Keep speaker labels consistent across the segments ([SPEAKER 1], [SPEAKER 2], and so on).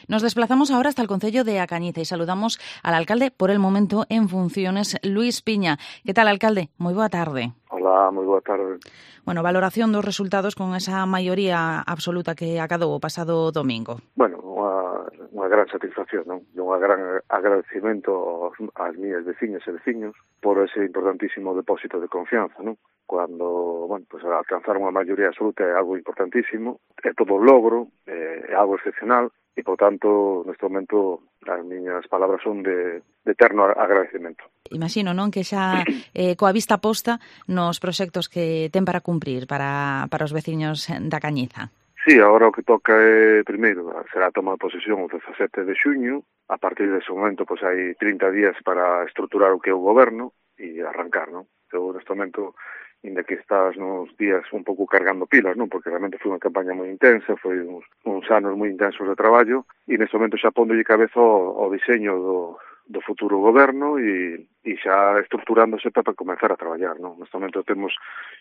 [SPEAKER 1] Nos desplazamos ahora hasta el concello de A Cañiza e saludamos al alcalde, por el momento en funciones, Luís Piña. Que tal, alcalde? Moi boa tarde.
[SPEAKER 2] Hola, moi boa tarde.
[SPEAKER 1] Bueno, valoración dos resultados con esa maioría absoluta que acadou o pasado domingo.
[SPEAKER 2] Bueno, unha gran satisfacción, non? E un gran agradecimento ás miñas veciñas e veciños por ese importantísimo depósito de confianza, non? Cuando, bueno, pues alcanzar unha maioría absoluta é algo importantísimo, é todo un logro, é algo excepcional, e, por tanto, neste momento, as miñas palabras son de eterno agradecimento.
[SPEAKER 1] Imagino, non, que xa coa vista posta nos proxectos que ten para cumprir para os veciños da Cañiza.
[SPEAKER 2] Sí, agora o que toca é, primeiro, será a toma de posesión o 17 de xuño. A partir dese momento, pois hai 30 días para estruturar o que é o goberno e arrancar, non? Eu, neste momento, inda que estás nos días un pouco cargando pilas, non? Porque realmente foi unha campaña moi intensa, foi uns anos moi intensos de traballo, e neste momento xa pondolle cabeza ao diseño do futuro goberno e xa estruturándose para comenzar a traballar, non? Neste momento temos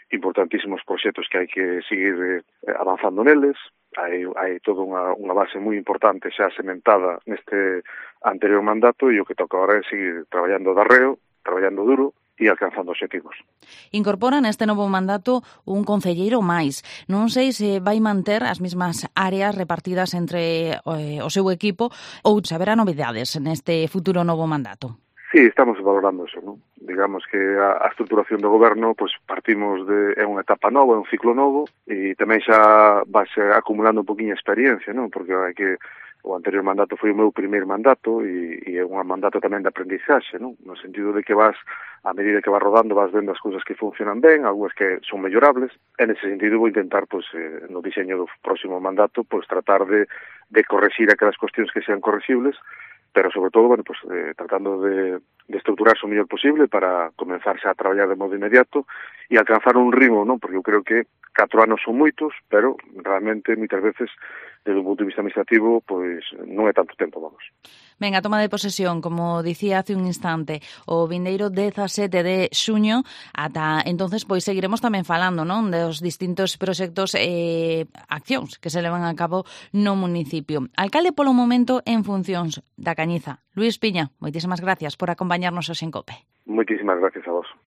[SPEAKER 2] importantísimos proxectos que hai que seguir avanzando neles, hai toda unha base moi importante xa sementada neste anterior mandato e o que toca agora é seguir traballando de arreo, traballando duro e alcanzando obxectivos.
[SPEAKER 1] Incorpora neste novo mandato un concelleiro máis. Non sei se vai manter as mesmas áreas repartidas entre o seu equipo ou se haberá novidades neste futuro novo mandato.
[SPEAKER 2] Sí, estamos valorando eso, non? Digamos que a estruturación do goberno, pois partimos é unha etapa nova, é un ciclo novo e tamén xa vas acumulando un poquinho experiencia, non? Porque hai que o anterior mandato foi o meu primeiro mandato e é un mandato tamén de aprendizaxe, non? No sentido de que vas, a medida que vas rodando, vas vendo as cousas que funcionan ben, algunhas que son mellorables. En ese sentido vou intentar, pois, no diseño do próximo mandato, pois, tratar de correxir aquelas cuestións que sean correxibles, pero sobre todo, bueno, pues, tratando de estruturarse o mellor posible para comenzar xa a traballar de modo inmediato e alcanzar un ritmo, non? Porque eu creo que 4 anos son moitos, pero realmente moitas veces desde un punto de vista administrativo, pois non é tanto tempo, vamos.
[SPEAKER 1] Ben, a toma de posesión, como dicía hace un instante, o vindeiro 17 de xuño, ata entonces pois seguiremos tamén falando, non, dos distintos proxectos e accións que se levan a cabo no municipio. Alcalde polo momento en funcións da Cañiza, Luís Piña, moitísimas gracias por acompañarnos hoxe en COPE.
[SPEAKER 2] Moitísimas gracias a vos.